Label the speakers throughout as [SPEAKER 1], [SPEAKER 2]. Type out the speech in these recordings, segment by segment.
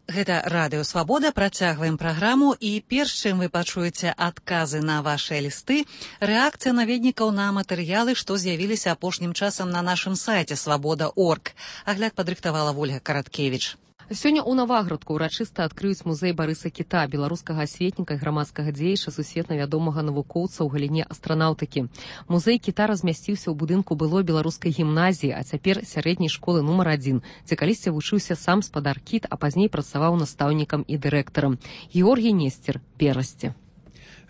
[SPEAKER 1] Гэта Радыё Свабода, працягваем праграму, і перш чым вы пачуеце адказы на вашыя лісты, рэакцыя наведнікаў на матэрыялы, што з'явіліся апошнім часам на нашым сайце свабода.орг. Агляд падрыхтавала Вольга Караткевіч.
[SPEAKER 2] Сёння ў Наваградку ўрачыста адкрыюць музей Барыса Кіта, беларускага асветніка і грамадскага дзеяча, сусветна вядомага навукоўца ў галіне астранаўтыкі. Музей Кіта размясціўся ў будынку былой беларускай гімназіі, а цяпер сярэдняй школы нумар 1, дзе калісьці вучыўся сам спадар Кіт, а пазней працаваў настаўнікам і дырэктарам. Георгій Несцер, Берасці.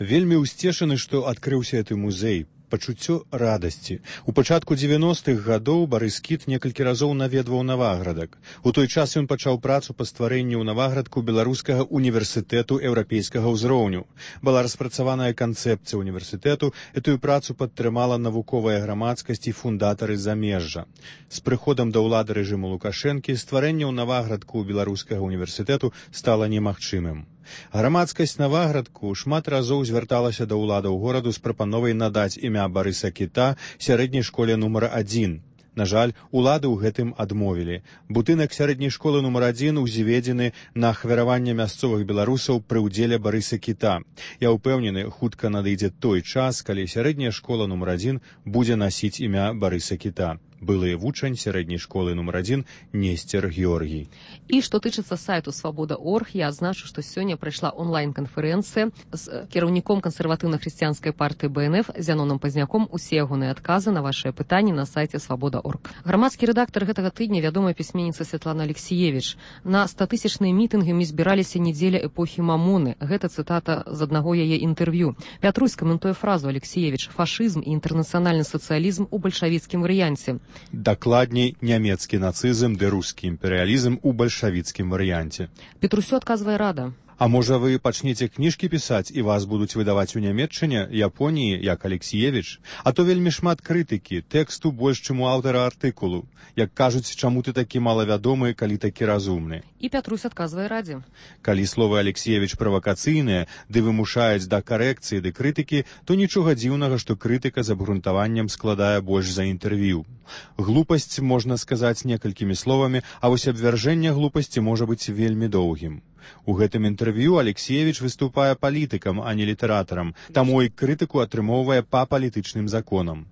[SPEAKER 3] Вельмі ўсцешаны, што адкрыўся гэты музей. Пачуццё радасці. У пачатку 90-х гадоў Барыс Кіт некалькі разоў наведваў Наваградак. У той час ён пачаў працу па стварэнні ў Наваградку беларускага універсітэту еўрапейскага ўзроўню. Была распрацаваная канцэпцыя універсітэту, гэтую працу падтрымала навуковая грамадскасць і фундатары замежжа. З прыходам да ўлады рэжыму Лукашэнкі стварэнне ў Наваградку беларускага універсітэту стала немагчымым. Грамадскасць Наваградку шмат разоў звярталася да ўладаў гораду з прапановай надаць імя Барыса Кіта сярэдняй школе нумар 1. На жаль, улады ў гэтым адмовілі. Будынак сярэдняй школы нумар 1 узведзены на ахвяраванне мясцовых беларусаў пры ўдзеле Барыса Кіта. Я ўпэўнены, хутка надыдзе той час, калі сярэдняя школа нумар 1 будзе насіць імя Барыса Кіта. Былы вучань сярэдняй школы нумар 1 Несцер Георгій.
[SPEAKER 2] І што тычыцца сайту свабода.орг, я адзначу, што сёння прайшла онлайн-канферэнцыя з кіраўніком кансерватыўна-хрысціянскай партыі БНФ Зяноном Пазняком. Усе ягоныя адказы на вашыя пытанні на сайце свабода.орг. Грамадскі рэдактар гэтага тыдня, вядомая пісьменніца Святлана Алексіевіч. На 100-тысячныя мітынгі мы збіраліся недзеля эпохі Мамоны. Гэта цытата з аднаго яе інтэрв'ю. Пятрусь каментуе фразу Алексіевіч: «Фашызм і інтэрнацыянальны сацыялізм у бальшавіцкім варыянце».
[SPEAKER 3] Дакладней, нямецкі нацызм ды рускі імперыялізм у бальшавіцкім варыянце.
[SPEAKER 2] Петрусю адказвае Рада.
[SPEAKER 3] А можа, вы пачнеце кніжкі пісаць, і вас будуць выдаваць у Нямецчыне, Японіі, як Алексіевіч? А то вельмі шмат крытыкі, тэксту больш, чым у аўтара артыкулу. Як кажуць, чаму ты такі малавядомы, калі такі разумны?
[SPEAKER 2] І Пятрусь адказвае Радзе.
[SPEAKER 3] Калі словы Алексіевіч правакацыйныя, ды вымушаюць да карэкцыі ды крытыкі, то нічога дзіўнага, што крытыка з абгрунтаваннем складае больш за інтэрв'ю. Глупасць можна сказаць некалькімі словамі, а вось абвяржэнне глупасці можа быць вельмі доўгім. У гэтым інтэрв'ю Алексіевіч выступае палітыкам, а не літаратарам, таму і крытыку атрымоўвае па палітычным законам.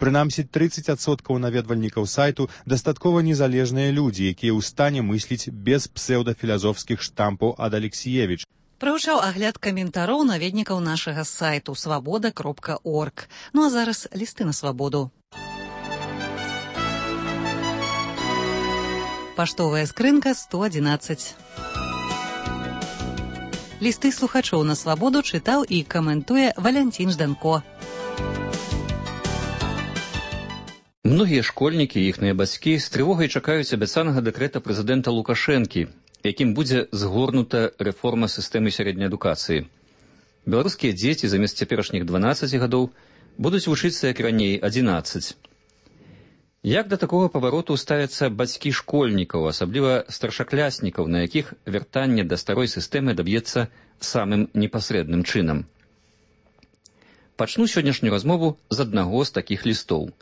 [SPEAKER 3] Прынамсі, 30% наведвальнікаў сайту дастаткова незалежныя людзі, якія ў стане мысліць без псеўдафілазофскіх штампаў ад Алексіевіч.
[SPEAKER 1] Прагучаў агляд каментароў наведнікаў нашага сайту свабода.орг. Ну а зараз лісты на свабоду. Паштовая скрынка 111. Лісты слухачоў на свабоду чытаў і каментуе Валянцін Жданко.
[SPEAKER 4] Многія школьнікі і іхныя бацькі з трывогай чакаюць абяцанага дэкрэта прэзідэнта Лукашэнкі, якім будзе згорнута рэформа сістэмы сярэдняй адукацыі. Беларускія дзеці замест цяперашніх 12 гадоў будуць вучыцца, як раней, 11. Як да такога павароту ставяцца бацькі школьнікаў, асабліва старшакляснікаў, на якіх вяртанне да старой сістэмы даб'ецца самым непасрэдным чынам? Пачну сённяшнюю размову з аднаго з такіх лістоў.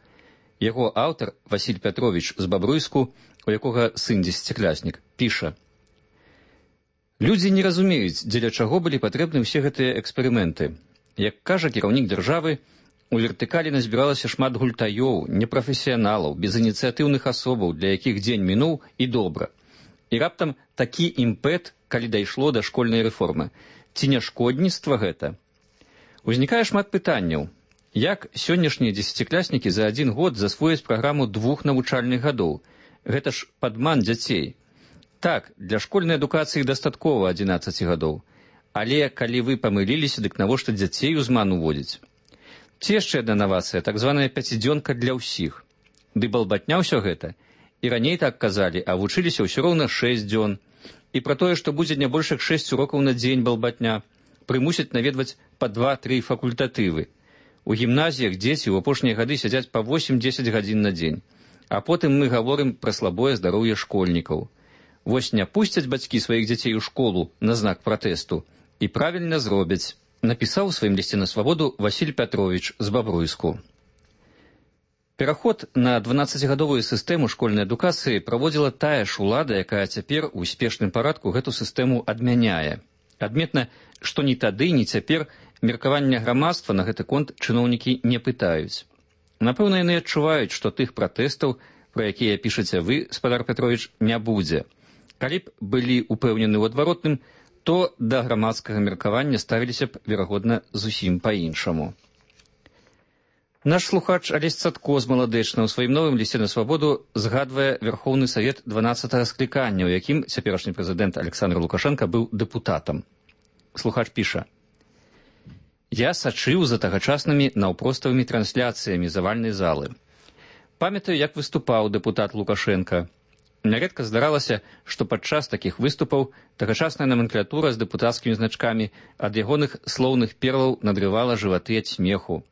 [SPEAKER 4] Яго аўтар, Васіль Пятровіч з Бабруйску, у якога сын 10-кляснік, піша: «Людзі не разумеюць, дзеля чаго былі патрэбны ўсе гэтыя эксперыменты. Як кажа кіраўнік дзяржавы, у вертыкалі назбіралася шмат гультаёў, непрафесіяналаў, безініцыятыўных асобаў, для якіх дзень мінуў і добра. І раптам такі імпэт, калі дайшло да школьнай рэформы. Ці не шкодніцтва гэта? Узнікае шмат пытанняў. Як сённяшнія 10-кляснікі за адзін год засвояць праграму 2 навучальных гадоў? Гэта ж падман дзяцей. Так, для школьнай адукацыі дастаткова 11 гадоў. Але калі вы памыліліся, дык навошта дзяцей у зман уводзіць? Ці яшчэ адна навацыя, так званая 5-дзёнка для ўсіх. Ды балбатня ўсё гэта. І раней так казалі, а вучыліся ўсё роўна 6 дзён. І пра тое, што будзе не больш як 6 урокаў на дзень балбатня, прымусяць наведваць па 2-3 факультатывы. У гімназіях дзеці ў апошнія гады сядзяць па 8-10 гадзін на дзень. А потым мы гаворым пра слабое здароўе школьнікаў. Вось не пусцяць бацькі сваіх дзяцей у школу на знак пратэсту. І правільна зробяць. Напісаў у сваім лісце на свабоду Васіль Пятровіч з Бабруйску. Пераход на 12гадовую сістэму школьнай адукацыі праводзіла тая ж улада, якая цяпер у спешным парадку гэту сістэму адмяняе. Адметна, што ні тады, ні цяпер меркавання грамадства на гэты конт чыноўнікі не пытаюць. Напэўна, яны адчуваюць, што тых пратэстаў, пра якія пішаце вы, спадар Петрович, не будзе. Калі б былі упэўнены ў адваротным, то да грамадскага меркавання ставіліся б, верагодна, зусім па-іншаму. Наш слухач Алесь Цатко з Маладэчна ў сваім новым лісце на свабоду згадвае Верхоўны Савет 12-го склікання, у якім цяперашні прэзідэнт Александр Лукашенко быў дэпутатам. Слухач піша: «Я сачыў за тагачаснымі наўпроставымі трансляцыямі завальнай залы. Памятаю, як выступаў дэпутат Лукашенко. Нярэдка здаралася, што падчас такіх выступаў тагачасная номенклатура з дэпутацкімі значкамі ад ягоных слоўных перлаў надрывала жываты ад смеху.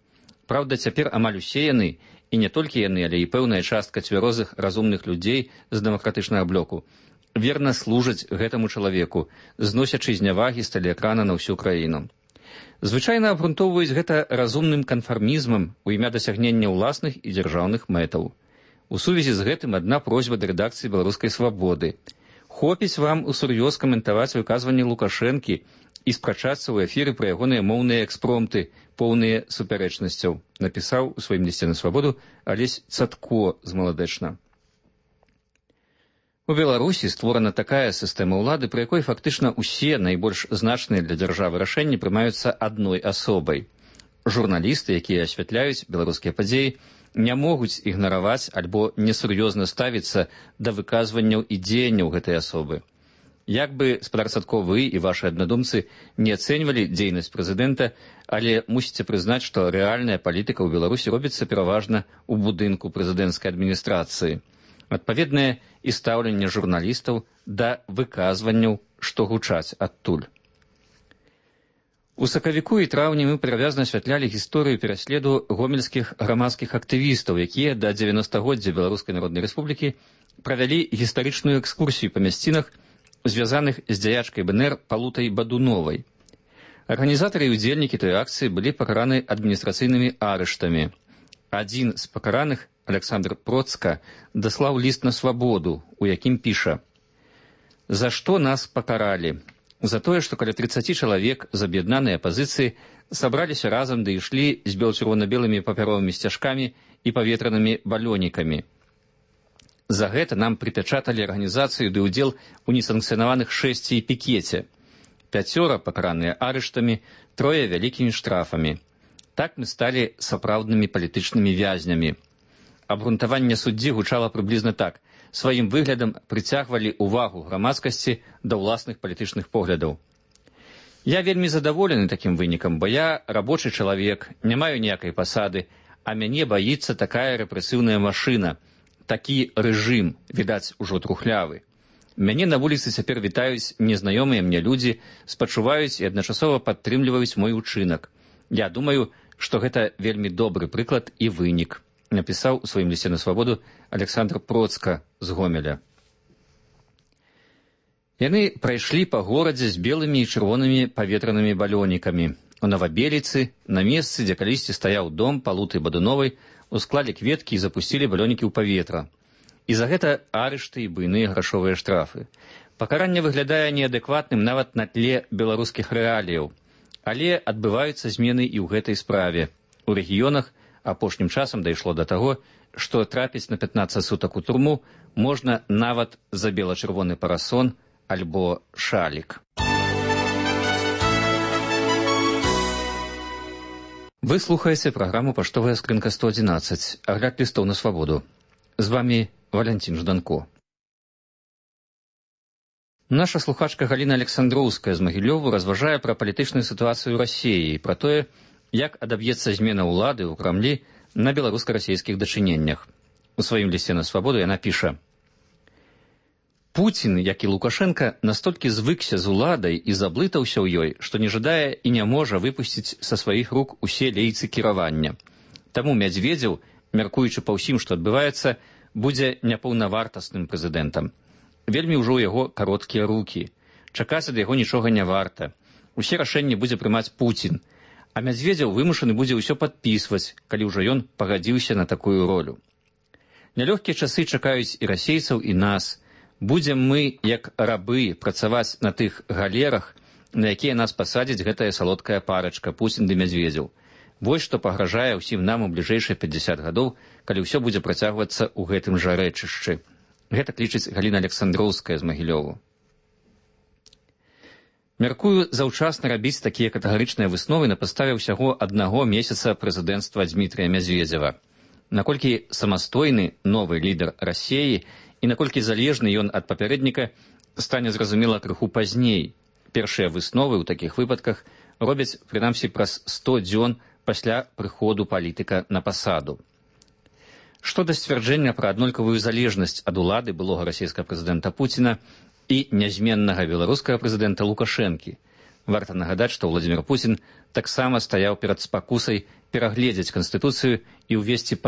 [SPEAKER 4] Праўда, цяпер амаль усе яны, і не толькі яны, але і пэўная частка цвярозых разумных людзей з дэмакратычнага блоку, верна служаць гэтаму чалавеку, зносячы знявагі з тэлеэкрана на ўсю краіну. Звычайна абгрунтоўваюць гэта разумным канфармізмам у імя дасягнення ўласных і дзяржаўных мэтаў. У сувязі з гэтым адна просьба да рэдакцыі «Беларускай свабоды». Хопіць вам усур'ёз каментаваць выказванні Лукашэнкі і спрачацца ў эфіры пра ягоныя моўныя экспромты, поўныя супярэчнасцяў, напісаў у сваім лісце на свабоду Алесь Цатко з Маладэчна. У Беларусі створана такая сістэма ўлады, пры якой фактычна ўсе найбольш значныя для дзяржавы рашэнні прымаюцца адной асобай. Журналісты, якія асвятляюць беларускія падзеі, не могуць ігнараваць альбо несур'ёзна ставіцца да выказванняў і дзеянняў гэтай асобы. Як бы, спадар Цатко, вы і вашы аднадумцы не ацэньвалі дзейнасць прэзідэнта, але мусіце прызнаць, што рэальная палітыка ў Беларусі робіцца пераважна ў будынку прэзідэнцкай адміністрацыі. Адпаведнае і стаўленне журналістаў да выказванняў, што гучаць адтуль. У сакавіку і траўні мы падрабязна асвятлялі гісторыю пераследу гомельскіх грамадскіх актывістаў, якія да 90-годдзя Беларускай Народнай Рэспублікі правялі гістарычную экскурсію па мясцінах, звязаных з дзяячкай БНР Палутай Бадуновай. Арганізатары і ўдзельнікі той акцыі былі пакараны адміністрацыйнымі арыштамі. Адзін з пакараных, Александр Процка, даслаў ліст на свабоду, у якім піша: «За што нас пакаралі? За тое, што каля 30 чалавек з аб'яднанай апазіцыі сабраліся разам ды ішлі з бел-чырвона-белымі папяровымі сцяжкамі і паветранымі балёнікамі. За гэта нам прыпячаталі арганізацыю ды ўдзел у несанкцыянаваных шэсці і пікеце. 5 пакараныя арыштамі, 3 вялікімі штрафамі. Так мы сталі сапраўднымі палітычнымі вязнямі». Абгрунтаванне суддзі гучала прыблізна так: сваім выглядам прыцягвалі ўвагу грамадскасці да ўласных палітычных поглядаў. «Я вельмі задаволены такім вынікам, бо я рабочы чалавек, не маю ніякай пасады, а мяне баіцца такая рэпрэсіўная машына, такі рэжым, відаць, ужо трухлявы. Мяне на вуліцы цяпер вітаюць незнаёмыя мне людзі, спачуваюць і адначасова падтрымліваюць мой учынак. Я думаю, што гэта вельмі добры прыклад і вынік», напісаў у сваім лісце на свабоду Александр Процка з Гомеля. Яны прайшлі па горадзе з белымі і чырвонымі паветранымі балёнікамі. У Новабеліцы, на месцы, дзе калісьці стаяў дом Палуты Бадуновай, усклалі кветкі і запусцілі балёнікі ў паветра. І за гэта арышты і буйныя грашовыя штрафы. Пакаранне выглядае неадэкватным нават на тле беларускіх рэаліяў. Але адбываюцца змены і ў гэтай справе. У рэгіёнах апошнім часам дайшло да таго, што трапіць на 15 сутак у турму можна нават за бела-чырвоны парасон альбо шалік. Вы слухаеце праграму «Паштовая скрынка 111», агляд лістоў на свабоду. З вамі Валянцін Жданко. Наша слухачка Галіна Александроўская з Магілёву разважае пра палітычную сітуацыю ў Расіі і пра тое, як адаб'ецца змена ўлады ў Крамлі на беларуска-расійскіх дачыненнях. У сваім лісце на свабоду яна піша: «Пуцін, як і Лукашенко, настолькі звыкся з уладай і заблытаўся ў ёй, што не жадае і не можа выпусціць са сваіх рук усе лейцы кіравання. Таму Мядзведзеў, мяркуючы па ўсім, што адбываецца, будзе няпаўнавартасным прэзідэнтам. Вельмі ўжо ў яго кароткія рукі. Чакаць ад яго нічога не варта. Усе рашэнні будзе прымаць Пуцін. А Мядзведзеў вымушаны будзе ўсё падпісваць, калі ўжо ён пагадзіўся на такую ролю. Нялёгкія часы чакаюць і расейцаў, і нас. Будзем мы, як рабы, працаваць на тых галерах, на якія нас пасадзіць гэтая салодкая парачка Пуцін ды Мядзведзеў. Вось што пагражае ўсім нам у бліжэйшыя 50 гадоў, калі ўсё будзе працягвацца ў гэтым жа рэчышчы. Гэта лічыць Галіна Александроўская з Магілёву. Мяркую, заўчасна рабіць такія катэгарычныя высновы на падставе ўсяго 1 месяца прэзідэнцтва Дмітрыя Мядзведзева. Наколькі самастойны новы лідар Расіі і наколькі залежны ён ад папярэдніка, стане зразумела крыху пазней. Першыя высновы ў такіх выпадках робяць, прынамсі, праз 100 дзён пасля прыходу палітыка на пасаду. Што да сцвярджэння пра аднолькавую залежнасць ад улады былога расійскага прэзідэнта Пуціна і нязменнага беларускага прэзідэнта Лукашэнкі. Варта нагадаць, што Владзімір Пуцін таксама стаяў перад спакусай перагледзець Канстытуцыю і ўвесці